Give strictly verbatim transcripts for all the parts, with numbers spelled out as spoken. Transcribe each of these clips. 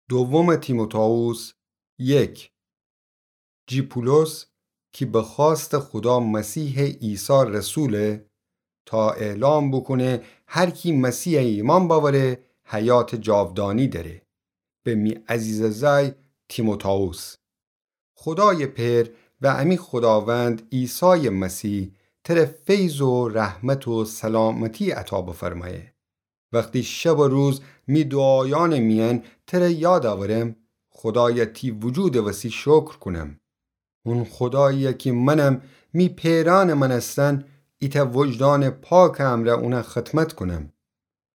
دوم تیموتائوس یک. جی پولس کی به خوأست خودا مسیحٚ عیسی رسوله، تا اعلام بوکونه هر کی مسیحَ ایمأن بأوره، حیاتٚ جاودانی دأره. به می عزیزٚ زأی تیموتائوس. خودایٚ پئر و امی خوداوند عیسایٚ مسیح تره فیض و رحمت و سلامتی عطا بفرمأیه. وختی شب و روز می دوعایأنٚ میأن تره یاد اورم، خودایَ تی وجودٚ وسی شکر کونم. اون خودایی‌یَ کی منم می پئرأنٚ مأنستن ایتأ وجدانٚ پاکٚ امرأ اونَ خدمت کونم.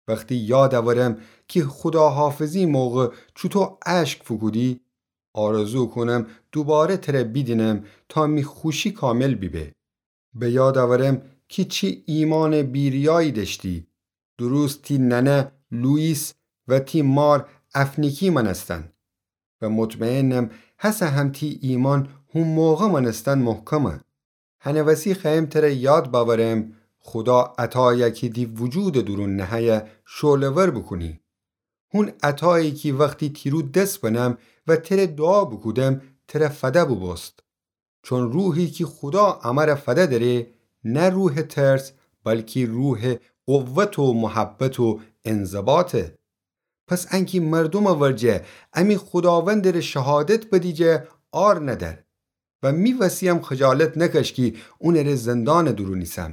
وختی یاد اورم کی خوداحافظی موقع چوطو اشک فوکودی، آرزو کونم دوباره تره بیدینم تا می خوشی کامل بیبه. به یاد اورم کی چی ایمانٚ بی‌ریایی دأشتی، درست تی ننه لوئیس و تی مار اونیکی مأنستن. و مطمئنم هسه هم تی ایمأن هو موقع مأنستن محکمه. هنٚ وسی خوأیم تره یاد بأورم، خودا عطایَ کی تی وجودٚ دورون نهه‌یه شعله‌ور بوکونی. هون عطایی کی وختی تی رو دس بنم و تره دوعا بوکودم، تره فده بوبوست. چون روحی کی خودا امره فده دأره، نه روحٚ ترس، بلکی روحٚ قوت و محبت و انضباطه. پس انکی مردومٚ ورجه امی خوداوندٚ ره شهادت بدی جا عار ندأر. و می وسی‌یم خجالت نکش کی اونٚ ره زندانٚ دورون ایسم،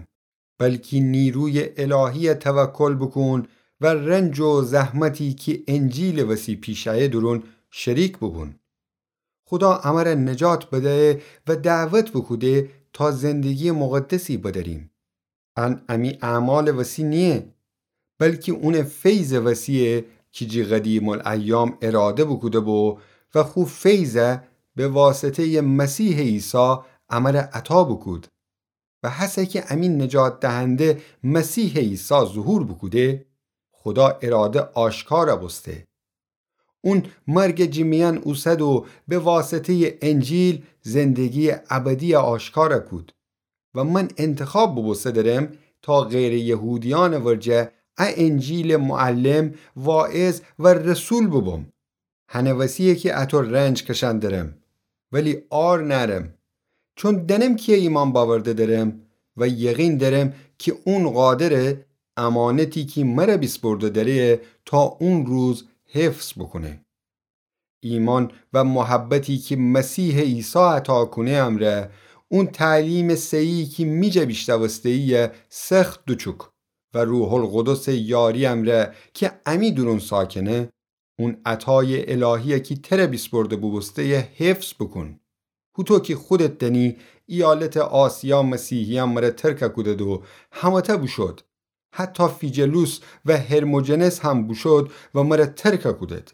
بلکی نیرویٚ الهی‌یَ توکل بوکون و رنج و زحمتی کی انجیلٚ وسی پیش ایه دورون شریک بوبون. خودا امره نجات بدیه و دعوت بوکوده تا زندگیٚ مقدسی بدأریم. ان امی اعمالٚ وسی نییه، بلکی اونٚ فیضٚ وسی‌یه کی جی قدیم‌الایام اراده بوکوده بو و خو فیضَ به واسطه‌یٚ مسیحٚ عیسی امره عطا بوکود. و هسه کی امی نجات دهنده مسیحٚ عیسی ظهور بوکوده، خودا اراده آشکار بوسته. اون مرگَ جی میأن اوسد و به واسطه‌یٚ انجیل زندگی‌یٚ ابدی‌یَ آشکار کود. و من انتخاب بوبوسته درم تا غیرٚ یهودیأنٚ ورجه ا انجیلٚ معلم، واعظ و رسول بوبوم. هنٚ وسی‌یه کی اطو رنج کشأن درم، ولی عار نأرم. چون دأنم کی‌یَ ایمأن بأورده درم و یقین دأرم کی اون قادره امانتی کی مره بیسپرده دأره تا اون روز حفظ بوکونه. ایمأن و محبتی کی مسیحٚ عیسی عطا کونه امرأ، اون تعلیمٚ صحیحی کی می جا بیشنوسته‌یی سخت دوچوک و روح‌القدسٚ یاری امرأ کی امی دورون ساکنه، اون عطایٚ الهی‌یَ کی تره بیسپرده بوبوسته‌یی حفظ بوکون. هوطو کی خودت دأنی، ایالتٚ آسیا مسیحیأن مره ترک کودد و همه‌تأ بوشود. حتی فیجلوس و هرموجنس هم بوشود و مره ترک کودد.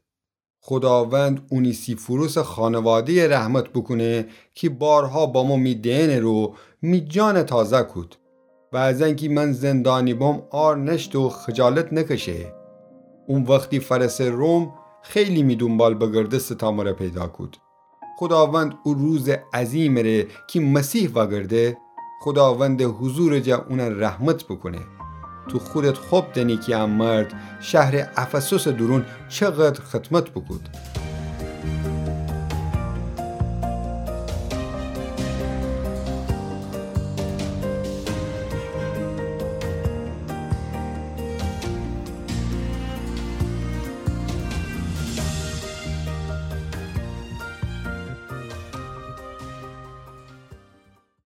خوداوند اونیسیفوروسٚ خانواده‌یَ رحمت بوکونه کی بارها بامو می دئنٚ رو می جانَ تازه کود. و از انکی من زندانی بوم عار نأشته و خجالت نکشه. اون وختی فأرسه روم، خیلی می دونبال بگردسته تا مره پیدا کود. خوداوند او روزٚ عظیمٚ ره کی مسیح وأگرده، خوداوندٚ حضورٚ جا اونَ رحمت بوکونه. تو خودت خب دأنی کی ا مرد شهرٚ افسسٚ دورون چقدر خدمت بوکود.